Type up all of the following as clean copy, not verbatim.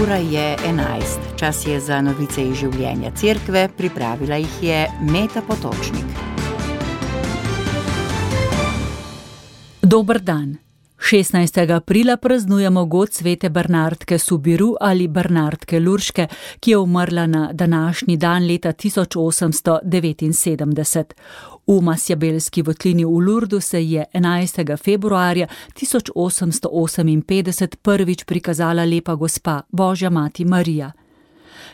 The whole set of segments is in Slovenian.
Ura je 11. Čas je za novice iz življenja cerkve, pripravila jih je Meta Potočnik. Dober dan. 16. aprila praznujemo god svete Bernardke Subiru ali Bernardke Lurške, ki je umrla na današnji dan leta 1879. V Masjabelski votlini v Lurdu se je 11. februarja 1858 prvič prikazala lepa gospa, Božja mati Marija.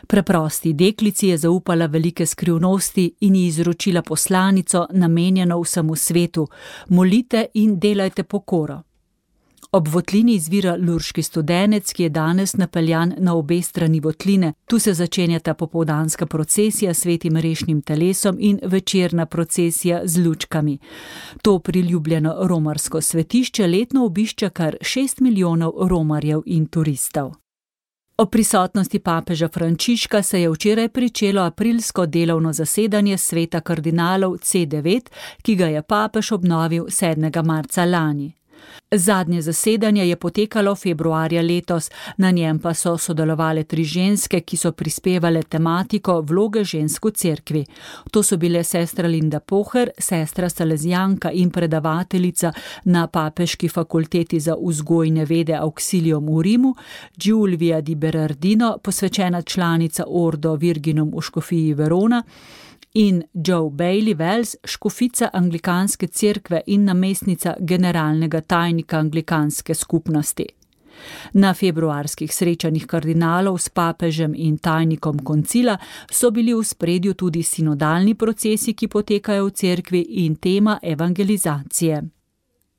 Preprosti deklici je zaupala velike skrivnosti in ji izročila poslanico, namenjeno vsemu svetu: molite in delajte pokoro. Ob votlini izvira lurški studenec, ki je danes napeljan na obe strani votline. Tu se začenjata popoldanska procesija s svetim rešnim telesom in večerna procesija z lučkami. To priljubljeno romarsko svetišče letno obišče kar 6 milijonov romarjev in turistov. Ob prisotnosti papeža Frančiška se je včeraj pričelo aprilsko delovno zasedanje sveta kardinalov C9, ki ga je papež obnovil 7. marca lani. Zadnje zasedanje je potekalo februarja letos, na njem pa so sodelovale 3 ženske, ki so prispevale tematiko vloge žensk v cerkvi. To so bile sestra Linda Poher, sestra salezijanka in predavateljica na Papeški fakulteti za vzgojne vede Auxilium v Rimu, Giulvia di Berardino, posvečena članica Ordo Virginum v škofiji Verona, in Jo Bailey Wells, škofica anglikanske cerkve in namestnica generalnega tajnika anglikanske skupnosti. Na februarskih srečanjih kardinalov s papežem in tajnikom koncila so bili v ospredju tudi sinodalni procesi, ki potekajo v cerkvi, in tema evangelizacije.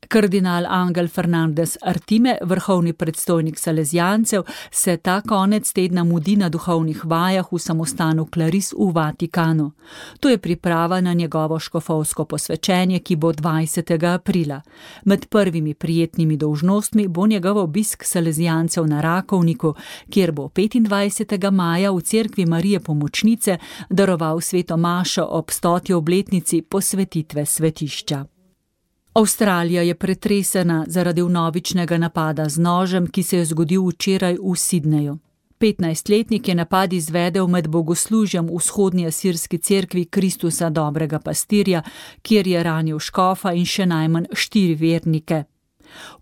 Kardinal Angel Fernandez Artime, vrhovni predstojnik salezijancev, se ta konec tedna mudi na duhovnih vajah v samostanu Claris v Vatikanu. To je priprava na njegovo škofovsko posvečenje, ki bo 20. aprila. Med prvimi prijetnimi dolžnostmi bo njegov obisk salezijancev na Rakovniku, kjer bo 25. maja v cerkvi Marije Pomočnice daroval sveto mašo ob 100. obletnici posvetitve svetišča. Avstralija je pretresena zaradi vnovičnega napada z nožem, ki se je zgodil včeraj v Sydneyju. 15-letnik je napad izvedel med bogoslužjem v vzhodni asirski cerkvi Kristusa dobrega pastirja, kjer je ranil škofa in še najmanj 4 vernike.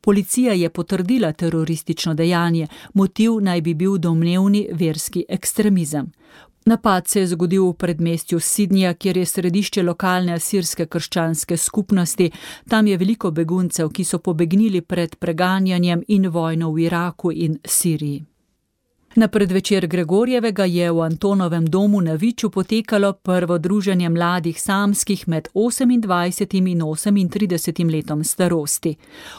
Policija je potrdila teroristično dejanje, motiv naj bi bil domnevni verski ekstremizem. Napad se je zgodil v predmestju Sydneyja, kjer je središče lokalne asirske krščanske skupnosti. Tam je veliko beguncev, ki so pobegnili pred preganjanjem in vojno v Iraku in Siriji. Na predvečer Gregorjevega je v Antonovem domu na Viču potekalo prvo druženje mladih samskih med 28 in 38 letom starosti.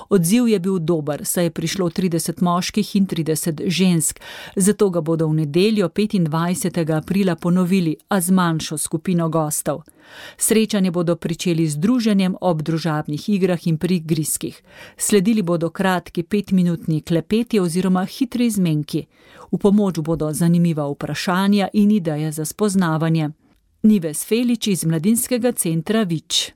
Odziv je bil dober, saj je prišlo 30 moških in 30 žensk, zato ga bodo v nedeljo 25. aprila ponovili, a z manjšo skupino gostov. Srečanje bodo pričeli z druženjem ob družabnih igrah in prigrizkih. Sledili bodo kratki 5-minutni klepeti oziroma hitri izmenki. V pomoč bodo zanimiva vprašanja in ideje za spoznavanje. Nives Felič iz Mladinskega centra Vič.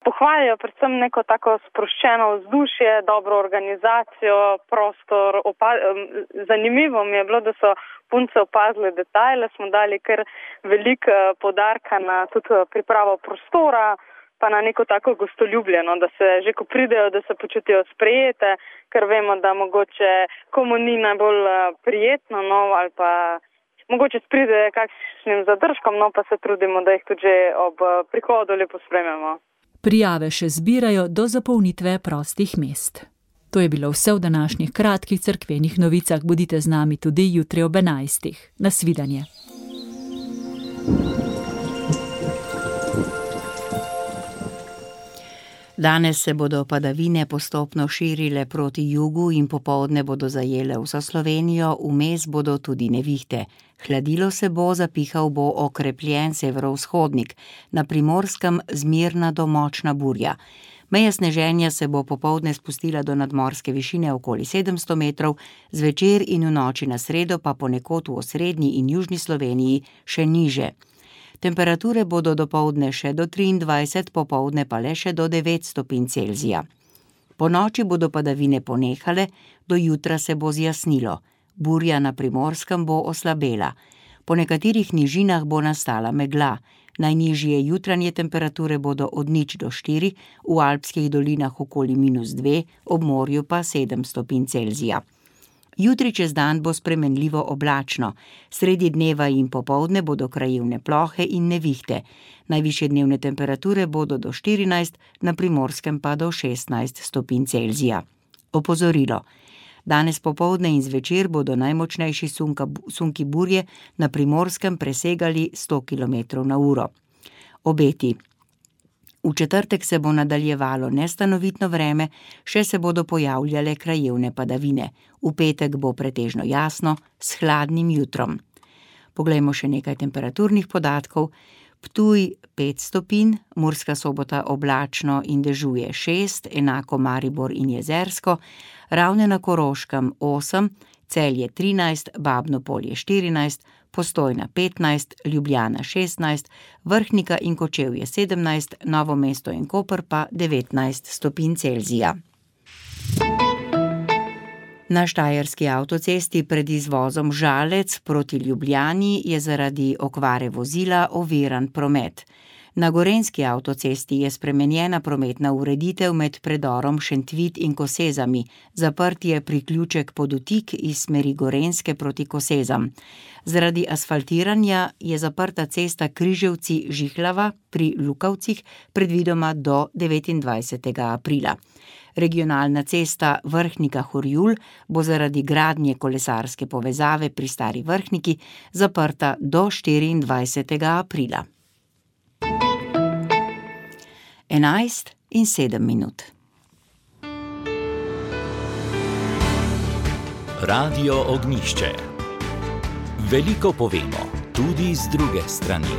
Pohvalijo predvsem neko tako sproščeno vzdušje, dobro organizacijo, prostor. Zanimivo mi je bilo, da so punce opazile detajle, smo dali kar veliko poudarka na tudi pripravo prostora, pa na neko tako gostoljubljeno, da se že ko pridejo, da se počutijo sprejete, ker vemo, da mogoče komu ni najbolj prijetno, ali pa mogoče pride kakšnim zadržkom, pa se trudimo, da jih tudi že ob prihodu lepo sprememo. Prijave še zbirajo do zapolnitve prostih mest. To je bilo vse v današnjih kratkih cerkvenih novicah. Bodite z nami tudi jutri ob 11. Nasvidenje. Danes se bodo padavine postopno širile proti jugu in popoldne bodo zajele vso Slovenijo, vmes bodo tudi nevihte. Hladilo se bo, zapihal bo okrepljen severovzhodnik, na Primorskem zmerna do močna burja. Meja sneženja se bo popoldne spustila do nadmorske višine okoli 700 metrov, zvečer in v noči na sredo pa ponekod v osrednji in južni Sloveniji še niže. Temperature bodo dopoldne še do 23, popoldne pa le še do 9 stopinj Celzija. Po noči bodo padavine ponehale, do jutra se bo zjasnilo. Burja na Primorskem bo oslabela. Po nekaterih nižinah bo nastala megla. Najnižje jutranje temperature bodo od 0 do 4, v alpskih dolinah okoli -2, ob morju pa 7 stopinj Celzija. Jutri čez dan bo spremenljivo oblačno, sredi dneva in popoldne bodo krajevne plohe in nevihte. Najvišje dnevne temperature bodo do 14, na Primorskem pa do 16 stopinj Celzija. Opozorilo. Danes popoldne in zvečer bodo najmočnejši sunki burje na Primorskem presegali 100 km/h. Obeti. V četrtek se bo nadaljevalo nestanovitno vreme, še se bodo pojavljale krajevne padavine. V petek bo pretežno jasno, s hladnim jutrom. Poglejmo še nekaj temperaturnih podatkov. Ptuj 5 stopinj, Murska Sobota oblačno in dežuje 6, enako Maribor in Jezersko, Ravne na Koroškem 8, Celje 13, Babno Polje 14, Postojna 15, Ljubljana 16, Vrhnika in Kočevje 17, Novo mesto in Koper pa 19 stopinj Celzija. Na štajerski avtocesti pred izvozom Žalec proti Ljubljani je zaradi okvare vozila oviran promet. Na gorenjski avtocesti je spremenjena prometna ureditev med predorom Šentvid in Kosezami, zaprt je priključek Podutik iz smeri Gorenjske proti Kosezam. Zaradi asfaltiranja je zaprta cesta Križevci-Žihlava pri Lukavcih predvidoma do 29. aprila. Regionalna cesta Vrhnika-Horjul bo zaradi gradnje kolesarske povezave pri Stari Vrhniki zaprta do 24. aprila. 11:07. Radio Ognjišče. Veliko povemo, tudi z druge strani.